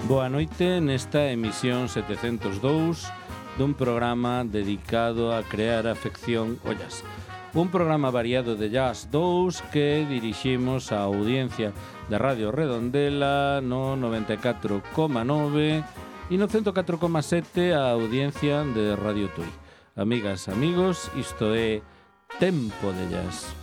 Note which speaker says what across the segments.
Speaker 1: Boa noite nesta emisión 702 dun programa dedicado a crear afección ao jazz. Un programa variado de Jazz 2 que diriximos á audiencia da Radio Redondela no 94,9 e no 104,7 a audiencia de Radio Tui. Amigas, amigos, isto é Tempo de Jazz.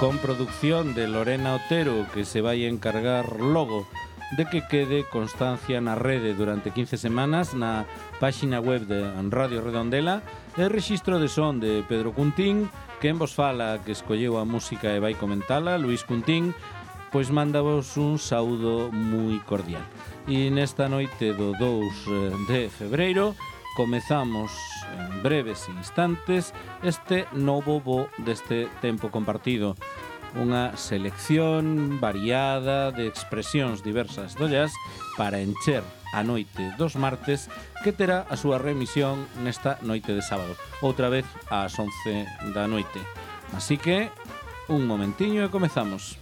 Speaker 1: Con producción de Lorena Otero, que se vai encargar logo de que quede constancia na rede durante 15 semanas na páxina web de Radio Redondela, e rexistro de son de Pedro Cuntín, quen vos fala que escolleu a música e vai comentala, Luís Cuntín, pois mandavos un saúdo moi cordial. E nesta noite do 2 de febreiro comezamos en breves instantes este novo bo deste tempo compartido, unha selección variada de expresións diversas do jazz para encher a noite dos martes, que terá a súa remisión nesta noite de sábado, outra vez ás 11 da noite. Así que, un momentiño e comezamos.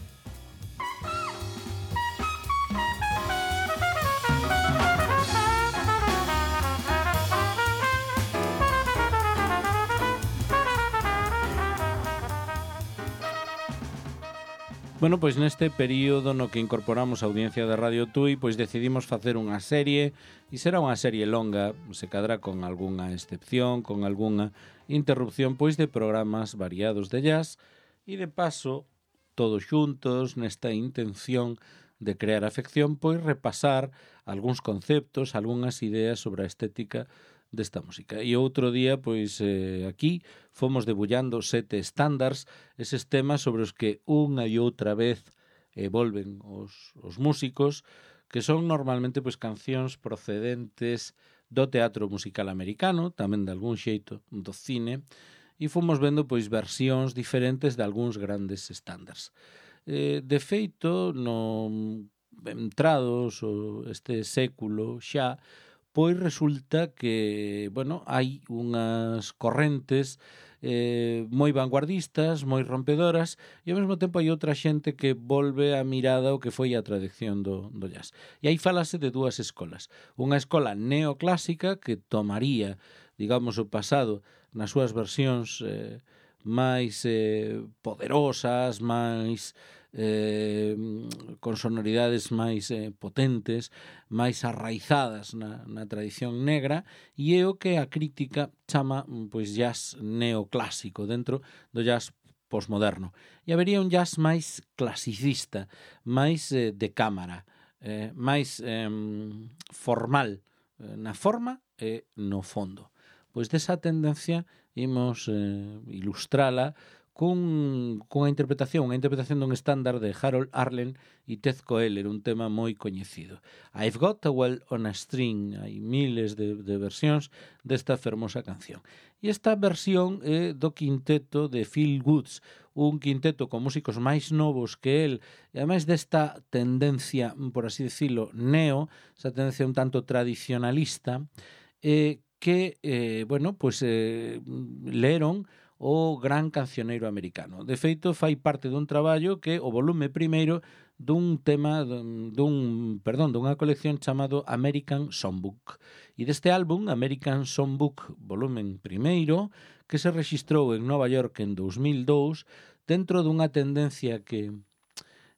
Speaker 1: Bueno, pois neste período no que incorporamos a audiencia da Radio Tui, pois decidimos facer unha serie, e será unha serie longa, se cadrá con algunha excepción, con algunha interrupción, pois de programas variados de jazz, e de paso, todos xuntos, nesta intención de crear afección, pois repasar algúns conceptos, algunhas ideas sobre a estética desta música. E outro día, pois, aquí fomos debullando 7 estándares, eses temas sobre os que unha e outra vez volven os músicos, que son normalmente pois cancións procedentes do teatro musical americano, tamén de algún xeito do cine, e fomos vendo pois versións diferentes de algúns grandes estándares. De feito, no entrados este século xa, pois resulta que, bueno, hai unhas correntes moi vanguardistas, moi rompedoras, e ao mesmo tempo hai outra xente que volve a mirada ao que foi a tradición do jazz. E aí falase de dúas escolas. Unha escola neoclásica que tomaría, digamos, o pasado nas súas versións máis poderosas, máis con sonoridades máis potentes, máis arraizadas na tradición negra, e é o que a crítica chama pois jazz neoclásico dentro do jazz posmoderno. E habería un jazz máis clasicista, máis de cámara, máis formal na forma e no fondo. Pois desa tendencia imos ilustrala cunha interpretación dun estándar de Harold Arlen e Ted Koehler, un tema moi coñecido. I've Got a Well on a String, hai miles de versións desta fermosa canción. E esta versión é do quinteto de Phil Woods, un quinteto con músicos máis novos que el, e ademais desta tendencia, por así decirlo, neo, esa tendencia un tanto tradicionalista, que, bueno, pues leron o gran cancioneiro americano. De feito, fai parte dun traballo que o volume primeiro dun tema, dunha colección chamado American Songbook. E deste álbum, American Songbook, volumen primeiro, que se rexistrou en Nova York en 2002, dentro dunha tendencia que,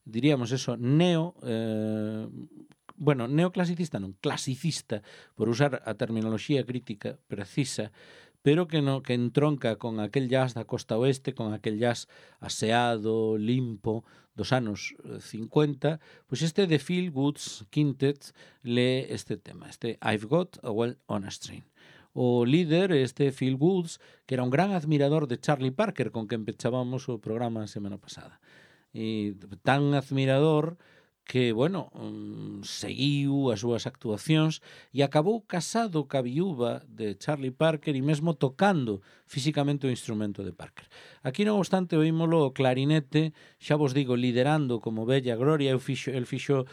Speaker 1: diríamos eso, neoclasicista non, clasicista, por usar a terminoloxía crítica precisa, pero que entronca con aquel jazz da costa oeste, con aquel jazz aseado, limpo, dos anos 50, pois este de Phil Woods Quintet lee este tema, este I've Got a Well on a String. O líder, este Phil Woods, que era un gran admirador de Charlie Parker, con quen pechábamos o programa a semana pasada. E tan admirador que, bueno, seguiu as súas actuacións e acabou casado ca viúva de Charlie Parker e mesmo tocando físicamente o instrumento de Parker. Aquí, non obstante, oímolo o clarinete, xa vos digo, liderando como bella gloria. El fixo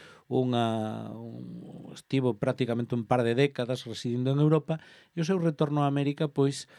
Speaker 1: estivo prácticamente un par de décadas residindo en Europa, e o seu retorno a América pois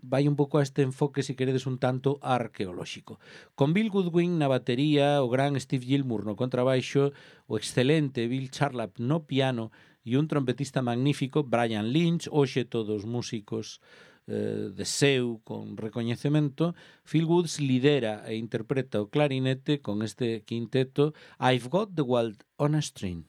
Speaker 1: vai un pouco a este enfoque, se queredes, un tanto arqueolóxico. Con Bill Goodwin na batería, o gran Steve Gilmour no contrabaixo, o excelente Bill Charlap no piano e un trompetista magnífico, Brian Lynch, hoxe todos músicos de seu con recoñecemento. Phil Woods lidera e interpreta o clarinete con este quinteto I've Got the World on a String.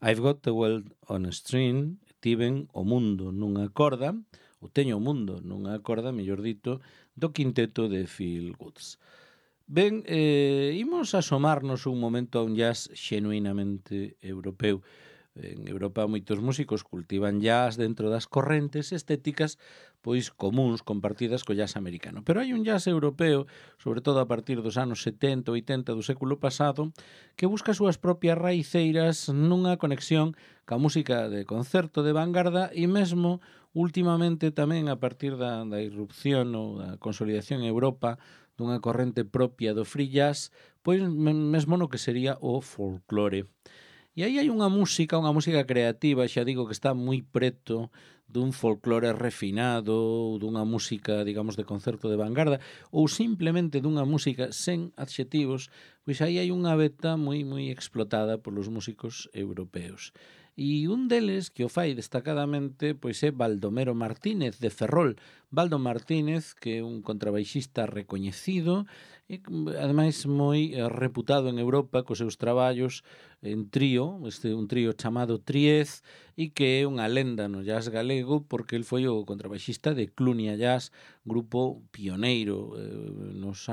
Speaker 1: I've got the world on a string, tiven o mundo nunha corda, ou teño o mundo nunha corda, mellor dito, do quinteto de Phil Woods. Ben, imos asomarnos un momento a un jazz xenuinamente europeu. En Europa moitos músicos cultivan jazz dentro das correntes estéticas pois comúns compartidas co jazz americano. Pero hai un jazz europeo, sobre todo a partir dos anos 70, 80 do século pasado, que busca as súas propias raiceiras nunha conexión ca música de concerto de vanguarda e mesmo últimamente tamén a partir da irrupción ou da consolidación en Europa dunha corrente propia do free jazz, pois mesmo no que sería o folclore. E aí hai unha música creativa, xa digo que está moi preto dun folclore refinado ou dunha música, digamos, de concerto de vanguarda ou simplemente dunha música sen adxetivos, pois aí hai unha veta moi explotada polos músicos europeos. E un deles que o fai destacadamente pois é Baldomero Martínez de Ferrol. Baldo Martínez, que é un contrabaixista recoñecido e ademais moi reputado en Europa cos seus traballos en trío, un trío chamado Triez, e que é unha lenda no jazz galego porque el foi o contrabaixista de Clunia Jazz, grupo pioneiro nos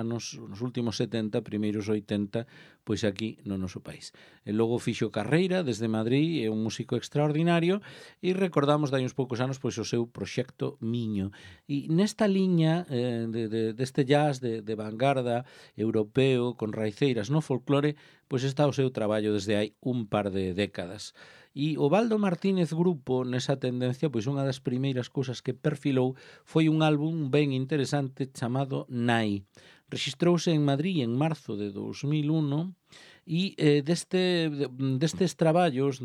Speaker 1: últimos 70, primeiros 80, pois aquí no noso país. E logo fixo carreira desde Madrid, é un músico extraordinario e recordamos dai uns poucos anos pois o seu proxecto Miño. E nesta liña deste jazz de vanguarda europeo con raiceiras no folclore, pois está o seu traballo desde hai un par de décadas. E o Baldo Martínez Grupo, nesa tendencia, pois unha das primeiras cousas que perfilou foi un álbum ben interesante chamado Nai. Rexistrouse en Madrid en marzo de 2001 e destes traballos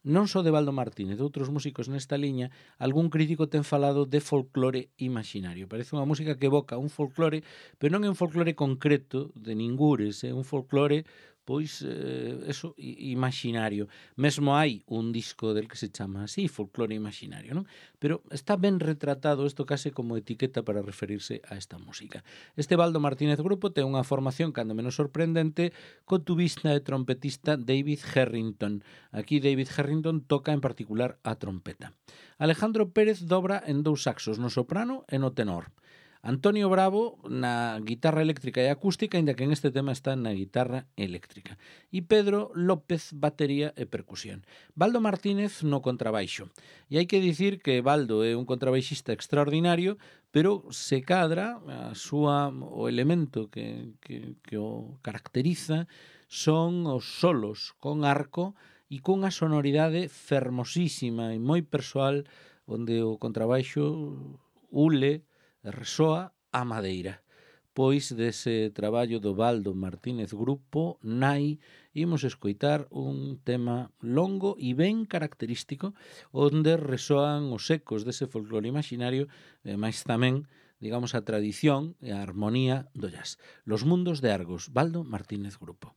Speaker 1: non só de Baldo Martínez, de outros músicos nesta liña, algún crítico ten falado de folclore imaginario. Parece unha música que evoca un folclore, pero non é un folclore concreto de ningures, é un folclore pois imaginario. Mesmo hai un disco del que se chama así, Folclore Imaginario, non? Pero está ben retratado isto case como etiqueta para referirse a esta música. Este Baldo Martínez Grupo ten unha formación cando menos sorprendente co tubista e trompetista David Harrington. Aquí David Harrington toca en particular a trompeta. Alejandro Pérez dobra en dous saxos, no soprano e no tenor. Antonio Bravo na guitarra eléctrica e acústica, aínda que en este tema está na guitarra eléctrica. E Pedro López, batería e percusión. Baldo Martínez no contrabaixo. E hai que dicir que Baldo é un contrabaixista extraordinario, pero se cadra o elemento que o caracteriza son os solos con arco e cunha sonoridade fermosísima e moi persoal, onde o contrabaixo ule resoa a madeira. Pois dese traballo do Baldo Martínez Grupo, Nai, imos escoitar un tema longo e ben característico onde resoan os ecos dese folclore imaginario, mas tamén, digamos, a tradición e a armonía do jazz. Los mundos de Argos, Baldo Martínez Grupo.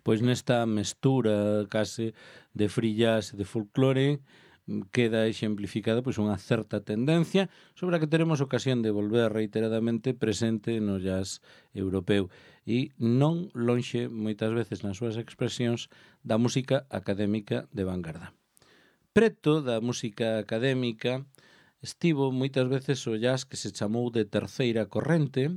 Speaker 1: pois nesta mestura case de free jazz e de folclore queda exemplificada pois unha certa tendencia sobre a que teremos ocasión de volver reiteradamente presente no jazz europeu e non lonxe moitas veces nas súas expresións da música académica de vanguarda. Preto da música académica estivo moitas veces o jazz que se chamou de terceira corrente,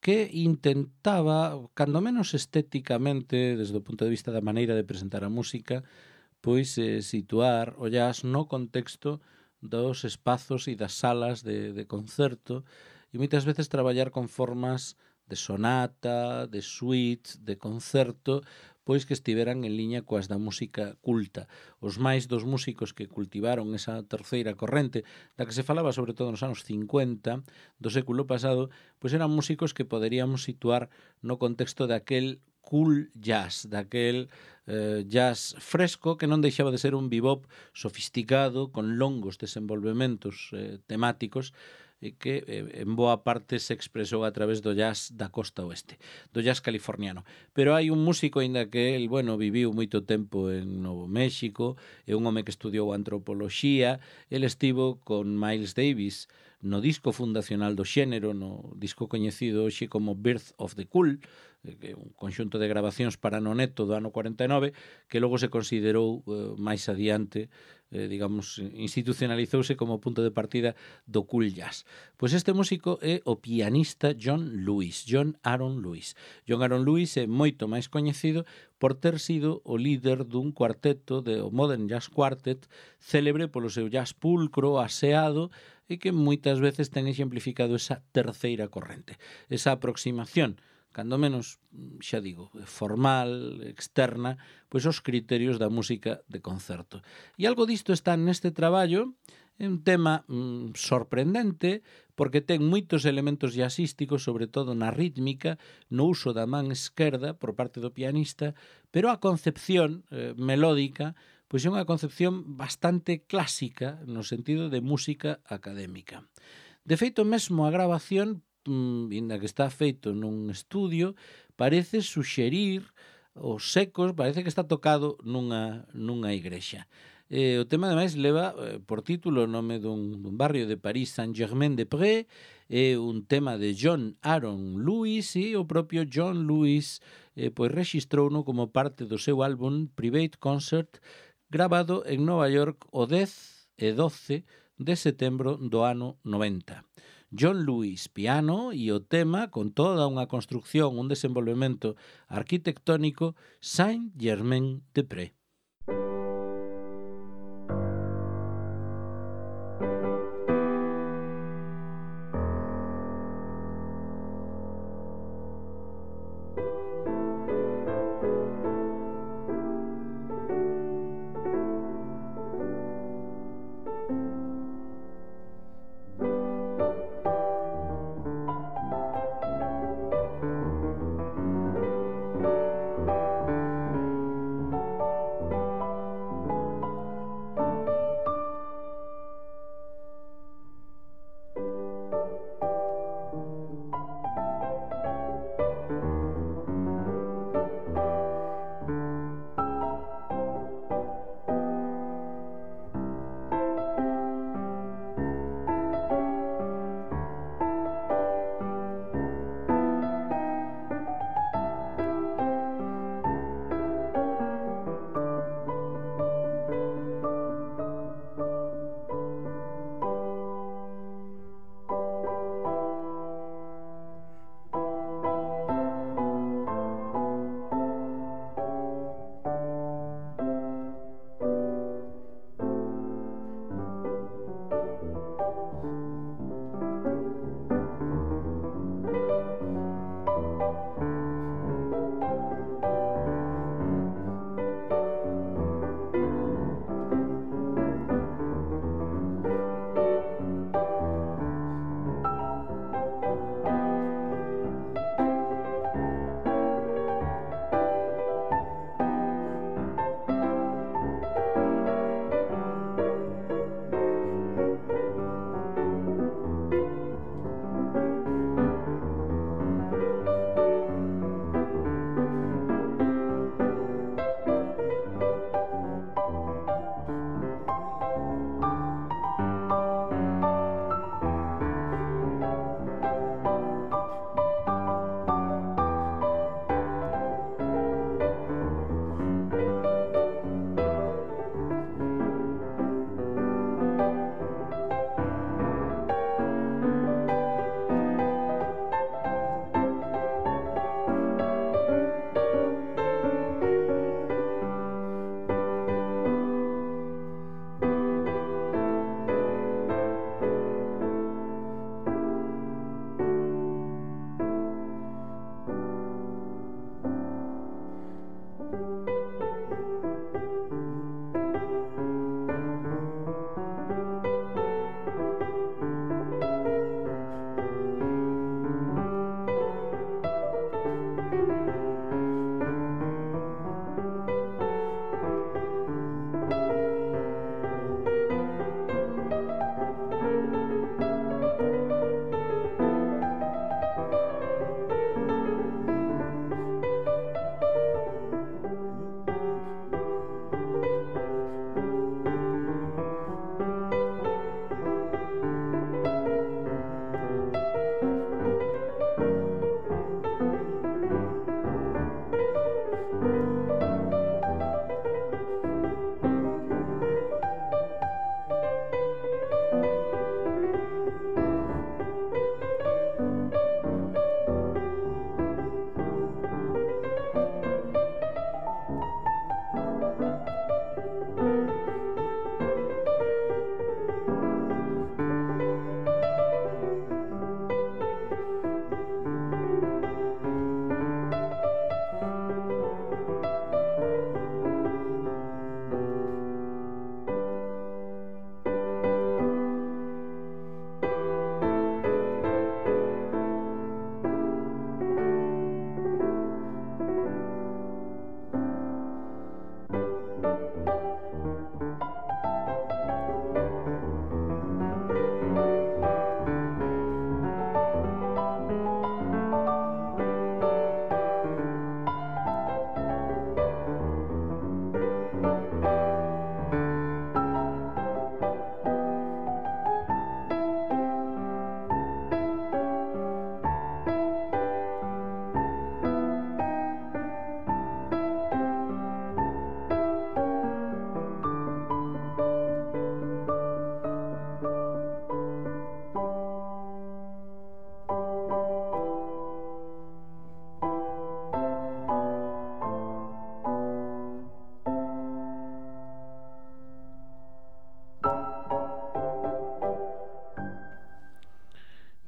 Speaker 1: que intentaba, cando menos estéticamente, desde o punto de vista da maneira de presentar a música, pois situar o jazz no contexto dos espazos e das salas de concerto e moitas veces traballar con formas de sonata, de suite, de concerto, pois que estiveran en liña coas da música culta. Os máis dos músicos que cultivaron esa terceira corrente, da que se falaba sobre todo nos anos 50 do século pasado, pois eran músicos que poderíamos situar no contexto daquel cool jazz, daquel jazz fresco que non deixaba de ser un bebop sofisticado con longos desenvolvementos temáticos que en boa parte se expresou a través do jazz da costa oeste, do jazz californiano. Pero hai un músico, aínda que el, viviu moito tempo en Novo México, é un home que estudiou antropoloxía, el estivo con Miles Davis no disco fundacional do xénero, no disco coñecido hoxe como Birth of the Cool, que é un conxunto de grabacións para noneto do ano 49, que logo se considerou máis adiante, institucionalizouse como punto de partida do cool jazz. Pois este músico é o pianista John Aaron Lewis. John Aaron Lewis é moito máis coñecido por ter sido o líder dun cuarteto, o Modern Jazz Quartet, célebre polo seu jazz pulcro, aseado, e que moitas veces ten exemplificado esa terceira corrente, esa aproximación cando menos, xa digo, formal, externa, pois os criterios da música de concerto. E algo disto está neste traballo, é un tema sorprendente, porque ten moitos elementos jazzísticos, sobre todo na rítmica, no uso da man esquerda por parte do pianista, pero a concepción melódica pois é unha concepción bastante clásica no sentido de música académica. De feito, mesmo a grabación, inda que está feito nun estudio, parece suxerir os ecos, parece que está tocado nunha igrexa. O tema, ademais, leva por título o nome dun barrio de París, Saint-Germain-des-Prés, é un tema de John Aaron Lewis, e o propio John Lewis pois rexistrouno como parte do seu álbum Private Concert, grabado en Nova York o 10 e 12 de setembro do ano 90. John Lewis, piano, e o tema con toda unha construcción, un desenvolvemento arquitectónico, Saint-Germain-des-Prés.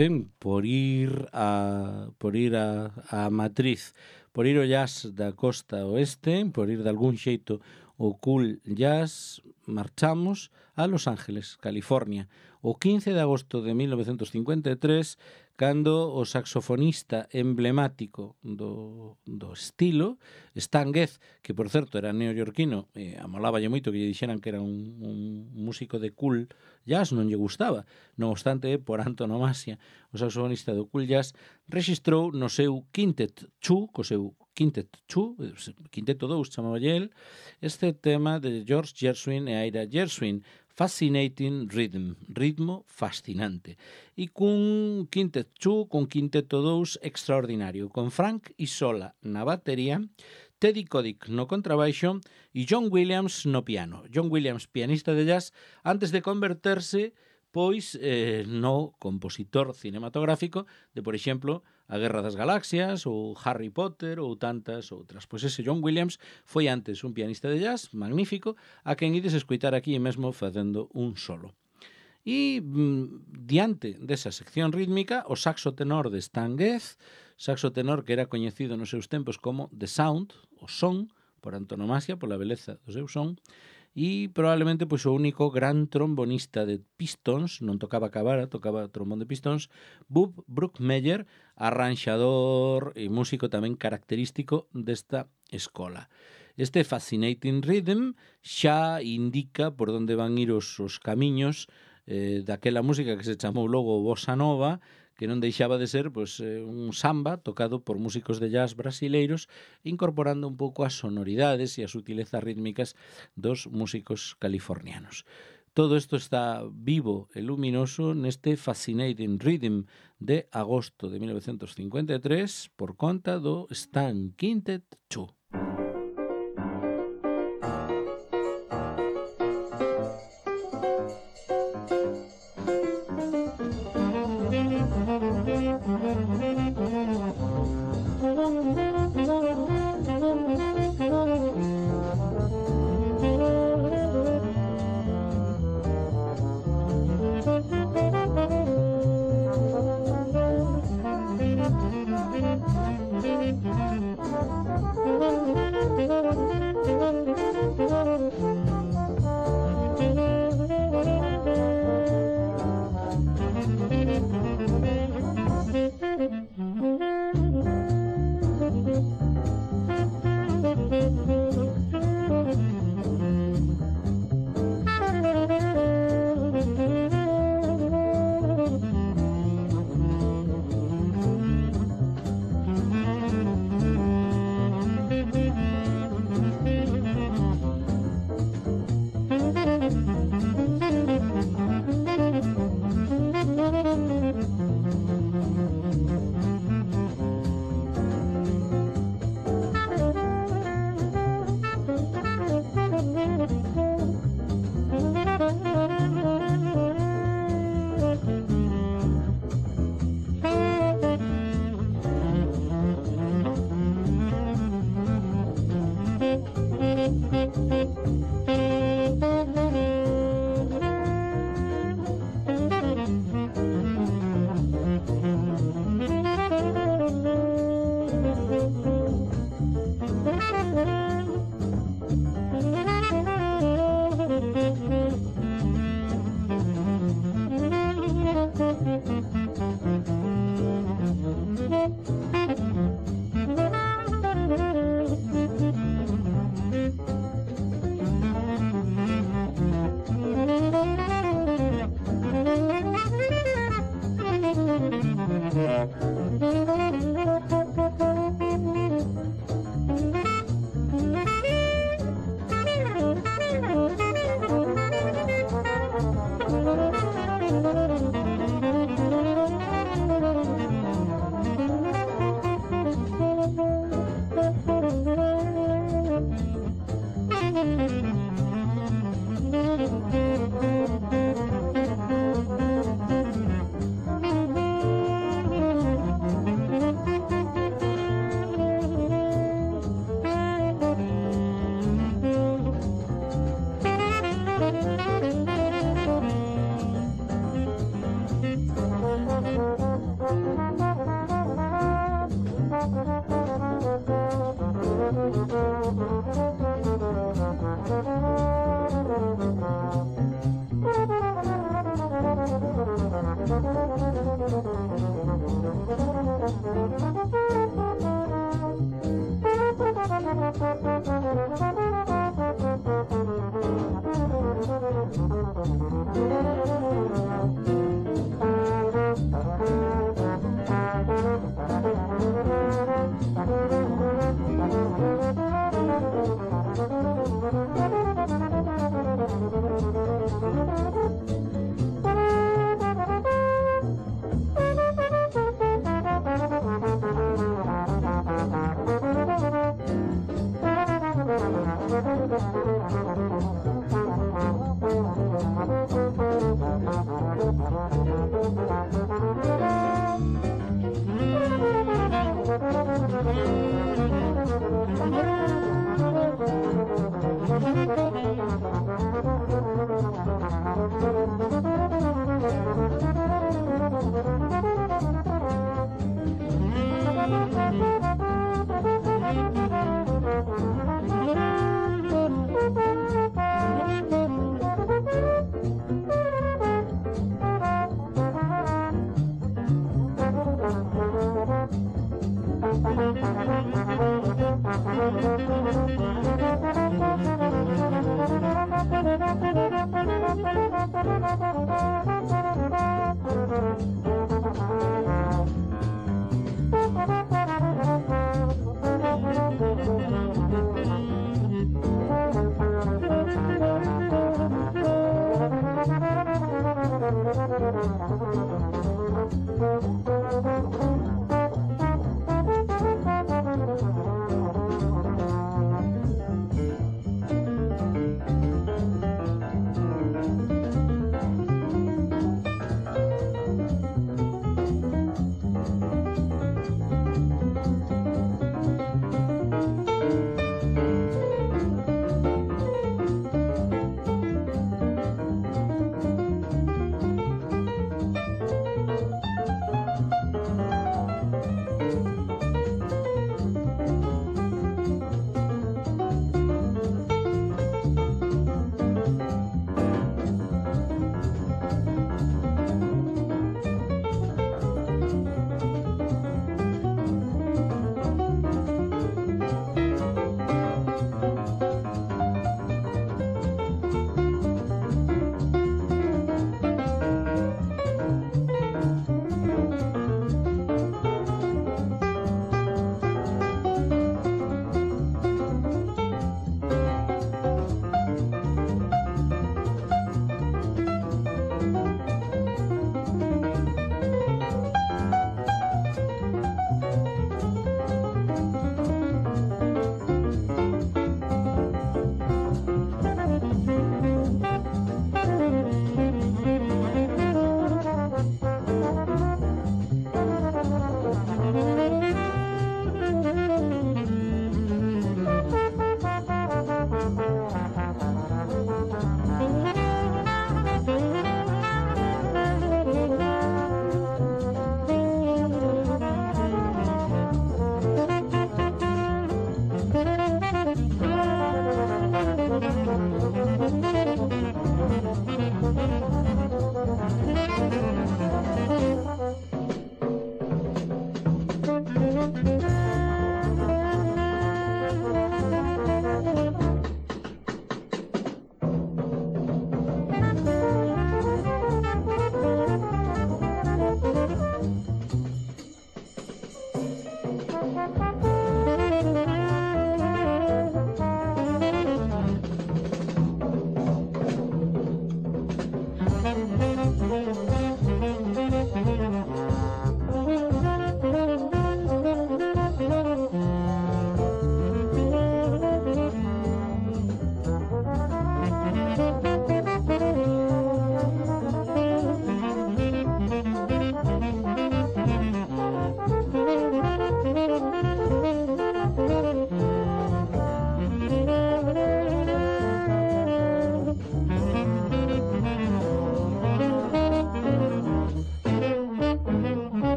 Speaker 1: Ben, por ir a matriz, por ir ao jazz da costa oeste, por ir de algún xeito o cool jazz, marchamos a Los Ángeles, California, o 15 de agosto de 1953, cando o saxofonista emblemático do estilo, Stan Getz, que por certo era neoyorquino, amoláballe moito que lle dixeran que era un músico de cool jazz, non lle gustaba. Non obstante, por antonomasia, o saxofonista do cool jazz rexistrou no seu Quintet Chu, Quinteto 2 chamaba el, este tema de George Gershwin e Ira Gershwin, Fascinating Rhythm, ritmo fascinante. E cun Quintet Chu, cun Quinteto 2 extraordinario, con Frank Isola na batería, Teddy Kotick no contrabaixo e John Williams no piano. John Williams, pianista de jazz, antes de converterse pois no compositor cinematográfico de, por exemplo, A Guerra das Galaxias ou Harry Potter ou tantas outras. Pois ese John Williams foi antes un pianista de jazz magnífico a quen ides escoitar aquí mesmo facendo un solo. E diante desa sección rítmica, o saxo tenor de Stan Getz, saxo tenor que era coñecido nos seus tempos como The Sound, o son, por antonomasia, pola beleza do seu son, e probablemente pois o único gran trombonista de pistons, non tocaba cabara, tocaba trombón de pistons, Bub Brookmeyer, arranxador e músico tamén característico desta escola. Este Fascinating Rhythm xa indica por onde van ir os camiños daquela música que se chamou logo Bossa Nova, que non deixaba de ser pois, un samba tocado por músicos de jazz brasileiros, incorporando un pouco as sonoridades e as sutilezas rítmicas dos músicos californianos. Todo isto está vivo e luminoso neste Fascinating Rhythm de agosto de 1953 por conta do Stan Quintet Chu.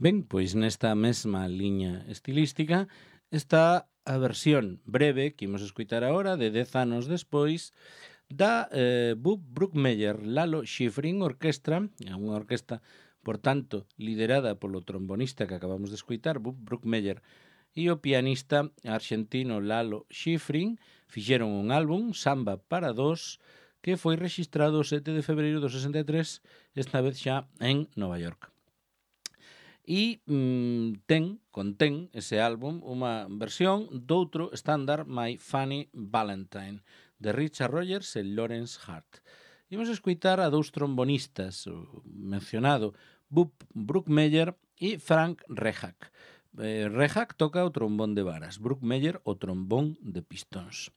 Speaker 1: Ben, pois nesta mesma liña estilística está a versión breve que imos escutar agora de 10 anos despois da Bub Bruckmeyer Lalo Schifrin Orquestra, unha orquesta, por tanto, liderada polo trombonista que acabamos de escutar, Bub Bruckmeyer, e o pianista argentino Lalo Schifrin fixeron un álbum, Samba para dos, que foi rexistrado o 7 de febreiro do 63, esta vez xa en Nova York. E contén ese álbum unha versión doutro estándar, My Funny Valentine, de Richard Rogers e Lawrence Hart. Imos escutar a dous trombonistas, o mencionado Bub Bruckmeyer e Frank Rehak. Rehak toca o trombón de varas, Bruckmeyer o trombón de pistóns.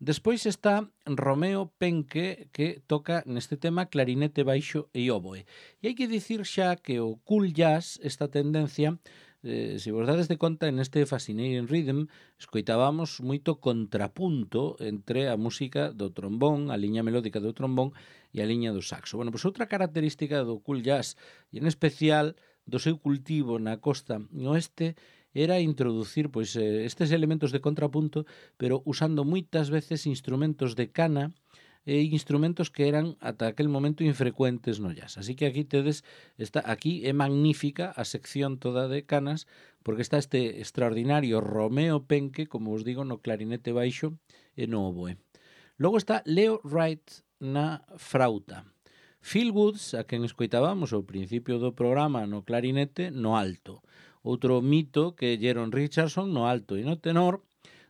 Speaker 1: Despois está Romeo Penke, que toca neste tema clarinete baixo e oboe. E hai que dicir xa que o cool jazz, esta tendencia, se vos dades de conta, neste Fascinating Rhythm escoitábamos moito contrapunto entre a música do trombón, a liña melódica do trombón e a liña do saxo. Bueno, pois outra característica do cool jazz, e en especial do seu cultivo na costa oeste, era introducir pois estes elementos de contrapunto, pero usando moitas veces instrumentos de cana e instrumentos que eran ata aquel momento infrecuentes no jazz. Así que aquí tedes, aquí é magnífica a sección toda de canas, porque está este extraordinario Romeo Penke, como os digo, no clarinete baixo e no oboe. Logo está Leo Wright na frauta. Phil Woods, a quen escoitábamos ao principio do programa no clarinete, no alto. Outro mito que Jeron Richardson no alto e no tenor,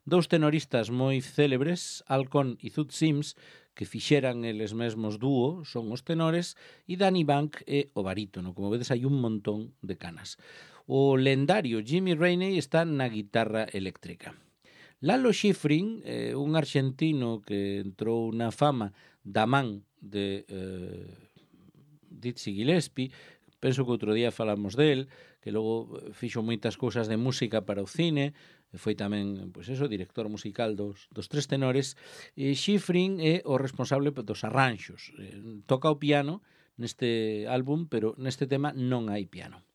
Speaker 1: dous tenoristas moi célebres, Alcon e Zoot Sims, que fixeran eles mesmos dúo, son os tenores, e Danny Bank é o barítono. Como vedes, hai un montón de canas. O lendario Jimmy Rainey está na guitarra eléctrica. Lalo Schifrin, un argentino que entrou na fama da man de Dizzy Gillespie, penso que outro día falamos del, que logo fixo moitas cousas de música para o cine, foi tamén, pois eso, director musical dos Tres Tenores, e Schifrin é o responsable dos arranxos. Toca o piano neste álbum, pero neste tema non hai piano.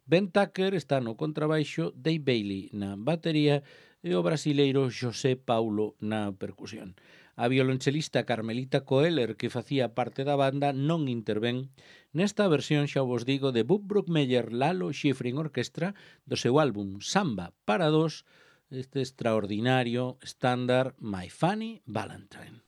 Speaker 1: Ben Tucker está no contrabaixo, Dave Bailey na batería e o brasileiro José Paulo na percusión. A violonchelista Carmelita Coeller, que facía parte da banda, non intervén nesta versión, xa vos digo, de Bub Bruckmeyer Lalo Schifrin Orquestra do seu álbum Samba para dos, este extraordinario estándar My Funny Valentine.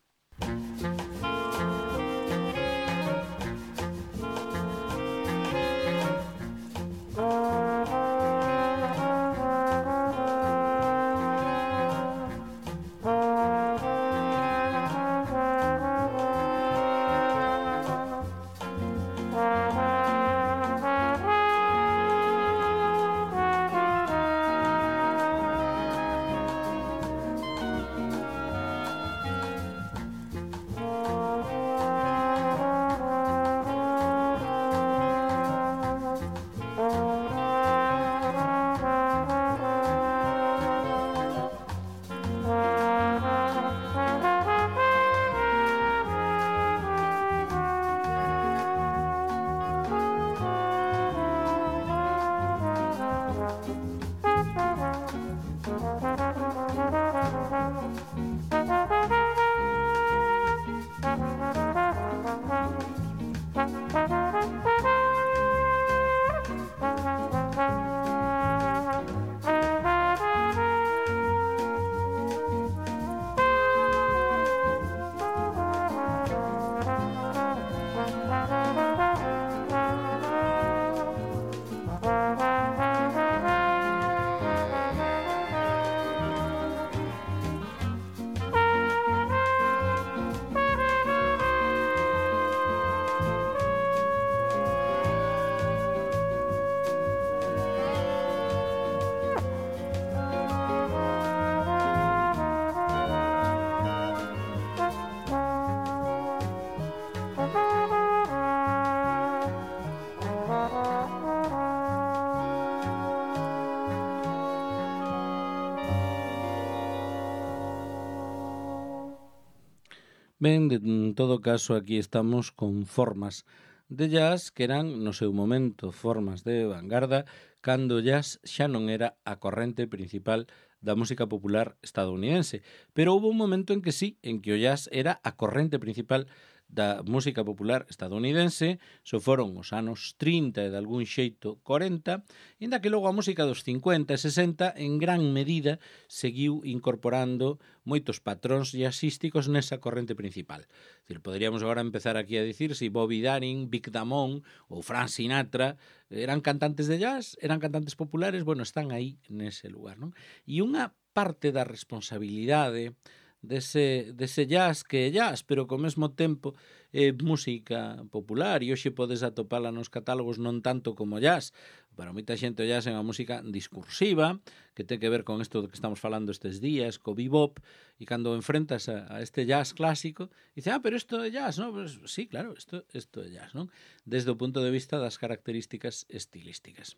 Speaker 1: Ben, en todo caso, aquí estamos con formas de jazz que eran, no seu momento, formas de vanguarda, cando o jazz xa non era a corrente principal da música popular estadounidense. Pero houve un momento en que sí, en que o jazz era a corrente principal da música popular estadounidense, so foron os anos 30 e de algún xeito 40, inda que logo a música dos 50 e 60 en gran medida seguiu incorporando moitos patróns jazzísticos nesa corrente principal. Es decir, poderíamos agora empezar aquí a dicir si Bobby Darin, Vic Damone ou Frank Sinatra eran cantantes de jazz, eran cantantes populares, bueno, están aí nese lugar, non? E unha parte da responsabilidade dese jazz que é jazz, pero que ao mesmo tempo é música popular e hoxe podes atopala nos catálogos non tanto como jazz. Para moita xente o jazz é unha música discursiva que ten que ver con isto que estamos falando estes días, co bebop, e cando enfrentas a este jazz clásico dice, pero isto é jazz, non? Pues, sí, claro, isto é jazz, non? Desde o punto de vista das características estilísticas.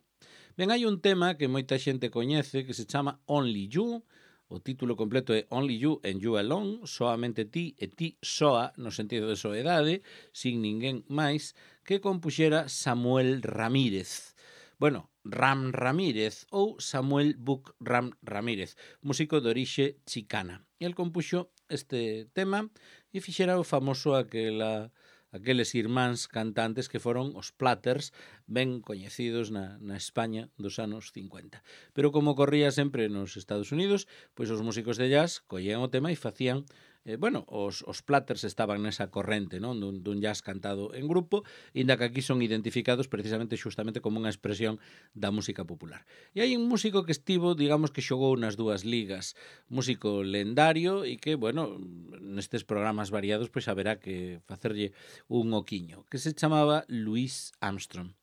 Speaker 1: Ben, hai un tema que moita xente coñece que se chama Only You. O título completo é Only You and You Alone, soamente ti e ti soa, no sentido de soedade, sin ninguén máis, que compuxera Samuel Ramírez. Bueno, Ram Ramírez ou Samuel Buck Ram Ramírez, músico de orixe chicana. E el compuxo este tema e fixera o famoso aqueles irmáns cantantes que foron os Platters, ben coñecidos na España dos anos 50. Pero como corría sempre nos Estados Unidos, pois os músicos de jazz collían o tema e facían, os Platters estaban nesa corrente, non, dun jazz cantado en grupo, inda que aquí son identificados precisamente xustamente como unha expresión da música popular. E hai un músico que estivo, digamos que xogou nas dúas ligas, músico lendario e que, nestes programas variados pois haberá que facerlle un oquiño, que se chamaba Louis Armstrong.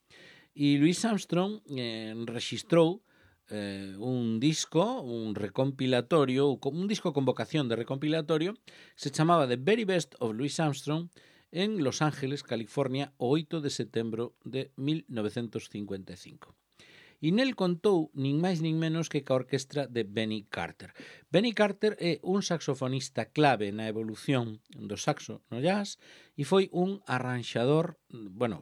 Speaker 1: E Louis Armstrong rexistrou un disco, un recompilatorio, un disco con vocación de recompilatorio, se chamaba The Very Best of Louis Armstrong en Los Ángeles, California, o 8 de setembro de 1955. E nel contou nin máis nin menos que ca orquestra de Benny Carter. Benny Carter é un saxofonista clave na evolución do saxo no jazz e foi un arranxador,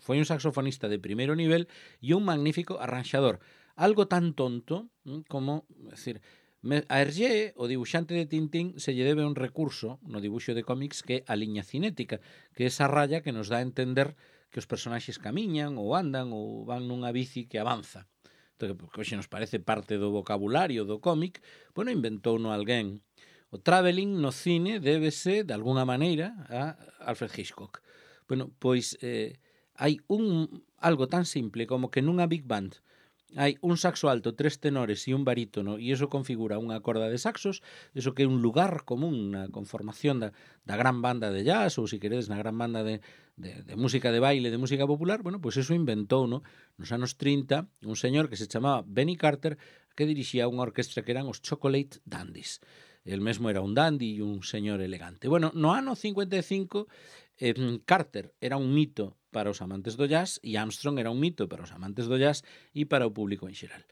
Speaker 1: foi un saxofonista de primeiro nivel e un magnífico arranxador. Algo tan tonto como, a Hergé, o dibuixante de Tintín, se lle debe un recurso no dibuixo de cómics que é a liña cinética, que é esa raya que nos dá a entender que os personaxes camiñan ou andan ou van nunha bici que avanza. Que hoxe nos parece parte do vocabulario do cómic, inventouno alguén. O travelling no cine débese, de alguna maneira, a Alfred Hitchcock. Pois hai algo tan simple como que nunha big band hai un saxo alto, 3 tenores e un barítono, e iso configura unha corda de saxos, iso que é un lugar común na conformación da gran banda de jazz, ou, se queredes, na gran banda de música de baile, de música popular. Pois iso inventou nos anos 30 un señor que se chamaba Benny Carter, que dirixía unha orquestra que eran os Chocolate Dandies. El mesmo era un dandy e un señor elegante. No ano 55, Carter era un mito para os amantes do jazz e Armstrong era un mito para os amantes do jazz e para o público en xeral.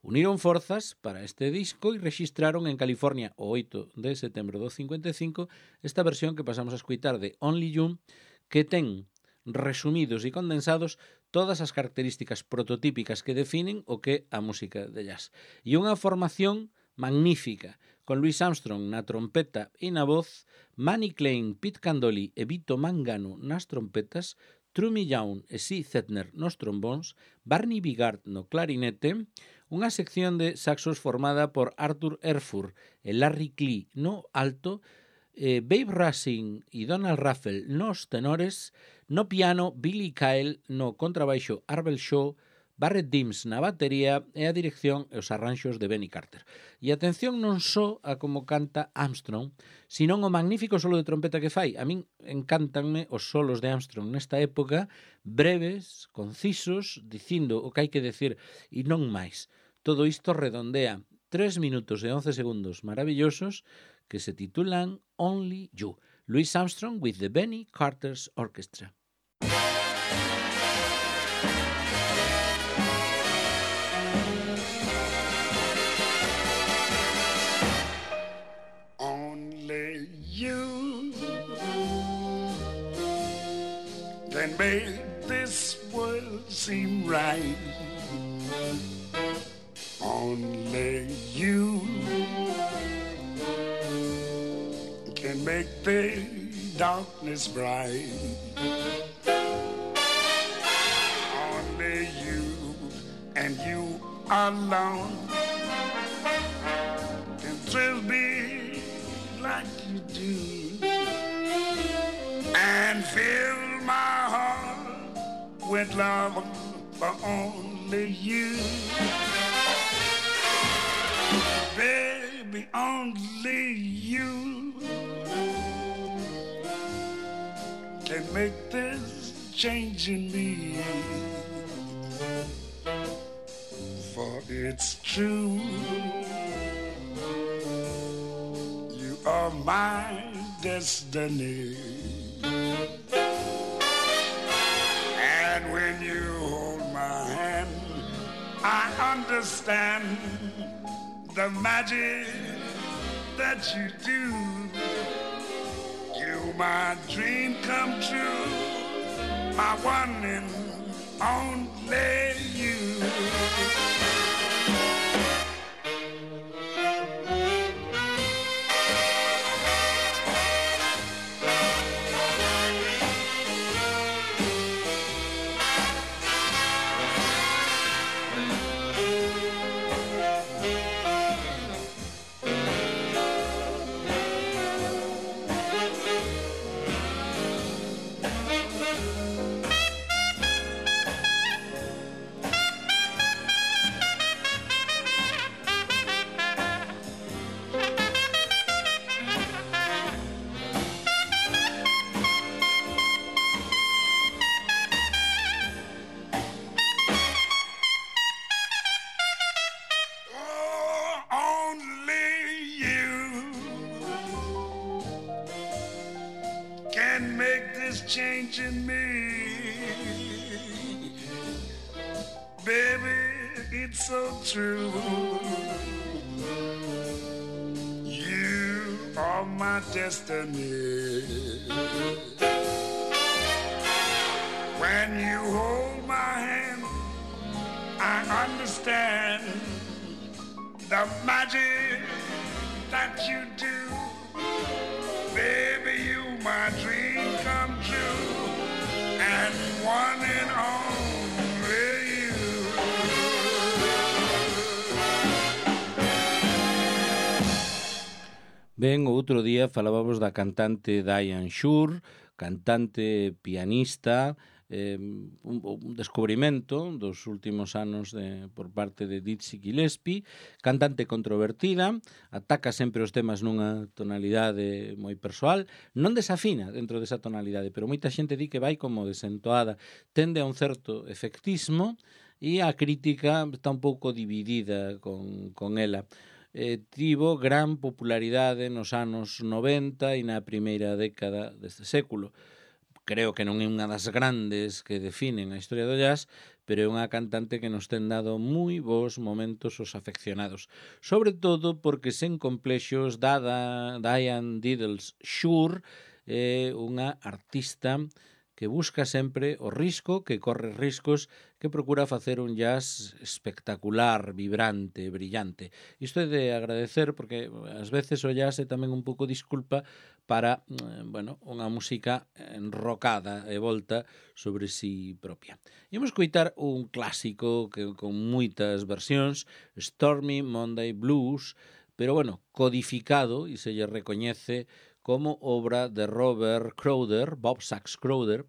Speaker 1: Uniron forzas para este disco e rexistraron en California o 8 de setembro do 55 esta versión que pasamos a escuitar de Only You, que ten resumidos e condensados todas as características prototípicas que definen o que é a música de jazz. E unha formación magnífica, con Louis Armstrong na trompeta e na voz, Manny Klein, Pete Candoli e Vito Mangano nas trompetas, Trumi Young e Cy Zentner nos trombóns, Barney Bigard no clarinete, unha sección de saxos formada por Arthur Erfurt e Larry Klee no alto, Babe Russing e Donald Raffel nos tenores, no piano Billy Kyle, no contrabaixo Arbel Shaw, Barrett Dims na batería e a dirección e os arranxos de Benny Carter. E atención non só a como canta Armstrong, senón o magnífico solo de trompeta que fai. A min encantanme os solos de Armstrong nesta época, breves, concisos, dicindo o que hai que decir e non máis. Todo isto redondea 3 minutos e 11 segundos maravillosos que se titulan Only You. Louis Armstrong with the Benny Carter's Orchestra.
Speaker 2: Then made this bright. Only you can make the darkness bright. Only you and you alone can thrill me like you do and fill my heart with love for only you. Baby, only you can make this change in me. For it's true, you are my destiny. And when you hold my hand, I understand the magic that you do. You my dream come true, my one and only you. Can make this change in me. Baby, it's so true. You are my destiny. When you hold my hand, I understand the magic that you do. Baby, you my dream come true, and one and only you.
Speaker 1: Ben, outro día falábamos da cantante Diane Shure, cantante, pianista, un descubrimento dos últimos anos por parte de Dizzy Gillespie, cantante controvertida, ataca sempre os temas nunha tonalidade moi persoal, non desafina dentro desa tonalidade, pero moita xente di que vai como desentoada, tende a un certo efectismo e a crítica está un pouco dividida con ela. Tivo gran popularidade nos anos 90 e na primeira década deste século. Creo que non é unha das grandes que definen a historia do jazz, pero é unha cantante que nos ten dado moi bons momentos os afeccionados. Sobre todo porque sen complexos, Diane Diddles Shure é unha artista que busca sempre o risco, que corre riscos, que procura facer un jazz espectacular, vibrante, brillante. Isto é de agradecer porque ás veces o jazz é tamén un pouco disculpa para, unha música enrocada e volta sobre si propia. Imos coitar un clásico que con moitas versións, Stormy Monday Blues, pero codificado e se lle recoñece como obra de Robert Crowder, Bob Sax Crowder,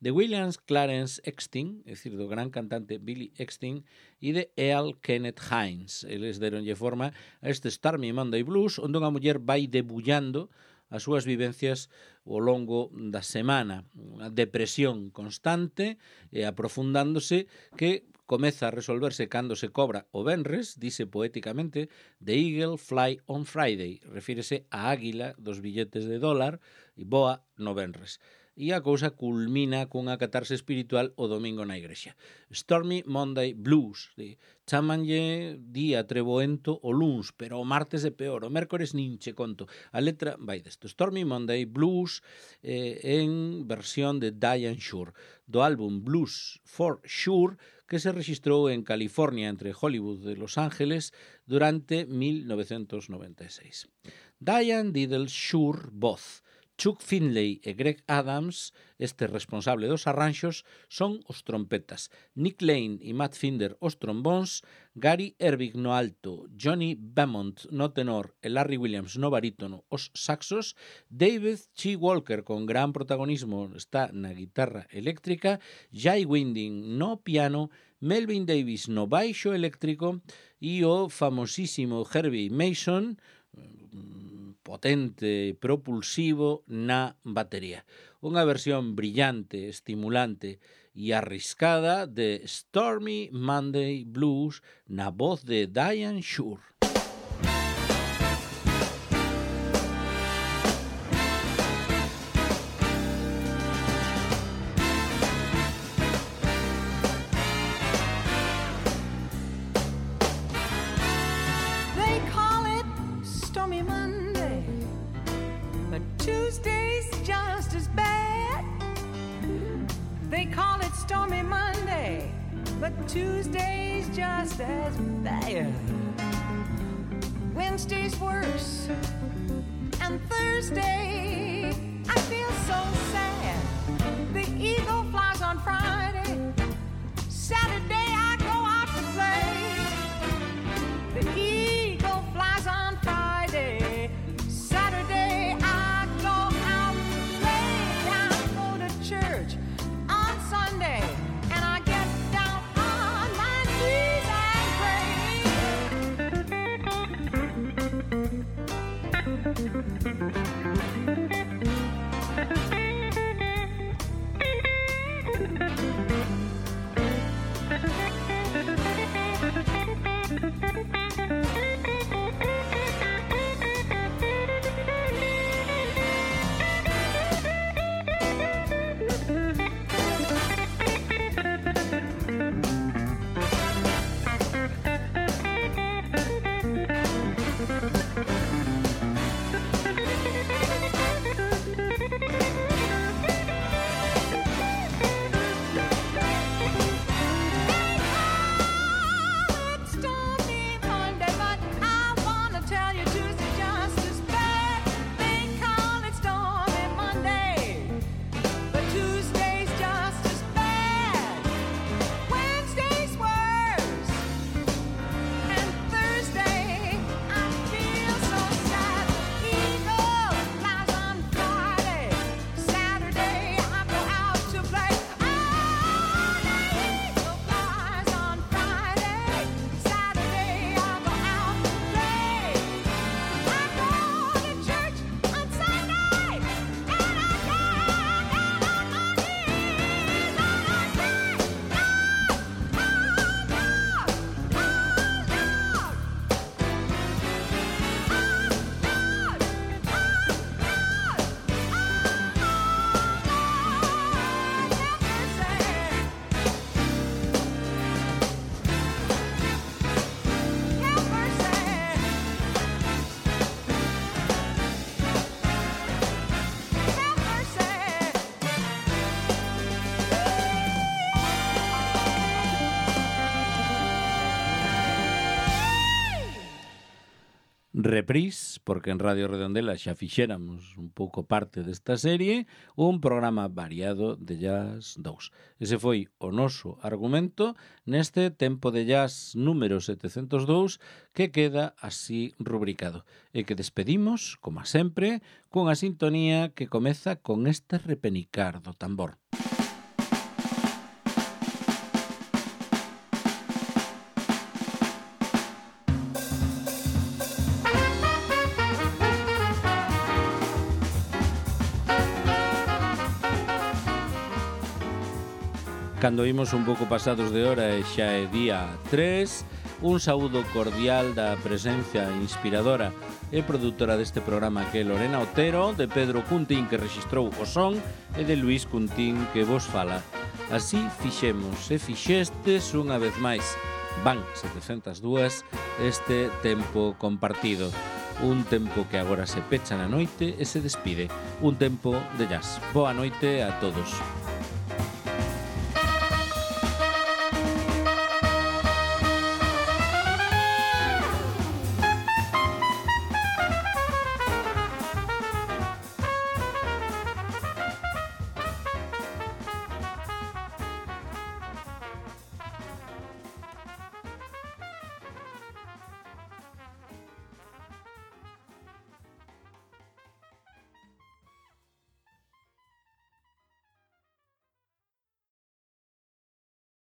Speaker 1: de William Clarence Exton, é dicir, do gran cantante Billy Exton, e de Earl Kenneth Hines. Eles deronlle forma a este Stormy Monday Blues, onde unha muller vai debullando as súas vivencias ao longo da semana. Unha depresión constante e aprofundándose que comeza a resolverse cando se cobra o venres, dice poéticamente, The Eagle Fly on Friday, refírese á águila dos billetes de dólar e voa no venres. e a cousa culmina cunha catarse espiritual o domingo na igrexa. Stormy Monday Blues. Chámanlle día treboento o luns, pero o martes é peor, o mércores nin che conto. A letra vai desto. Stormy Monday Blues en versión de Diane Shure, do álbum Blues for Sure, que se registrou en California entre Hollywood e Los Ángeles durante 1996. Diane Diddle Shure, voz. Chuck Finley e Greg Adams, este responsable dos arranxos, son os trompetas. Nick Lane e Matt Finder os trombóns, Gary Ervig no alto, Johnny Beaumont no tenor e Larry Williams no barítono os saxos, David Chi Walker con gran protagonismo está na guitarra eléctrica, Jay Winding no piano, Melvin Davis no baixo eléctrico e o famosísimo Herbie Mason, potente e propulsivo na batería. Unha versión brillante, estimulante e arriscada de Stormy Monday Blues na voz de Diane Shure.
Speaker 3: Tuesday's just as bad. They call it Stormy Monday, but Tuesday's just as bad. Wednesday's worse, and Thursday I feel so sad. The eagle flies on Friday, Saturday I go out to play. The eagle flies on Friday, Saturday I go out to play. I go to church on Sunday and I get down on my knees and
Speaker 1: Reprise, porque en Radio Redondela xa fixéramos un pouco parte desta serie, un programa variado de Jazz 2. Ese foi o noso argumento neste Tempo de Jazz número 702 que queda así rubricado e que despedimos, como sempre, cunha sintonía que comeza con este repenicar do tambor. Cando imos un pouco pasados de hora e xa é día 3, Un saúdo cordial da presencia inspiradora e produtora deste programa que é Lorena Otero, de Pedro Cuntín que rexistrou o son e de Luís Cuntín que vos fala. Así fixemos e fixestes unha vez máis. Van 702 este tempo compartido. Un tempo que agora se pecha na noite e se despide. Un tempo de jazz. Boa noite a todos.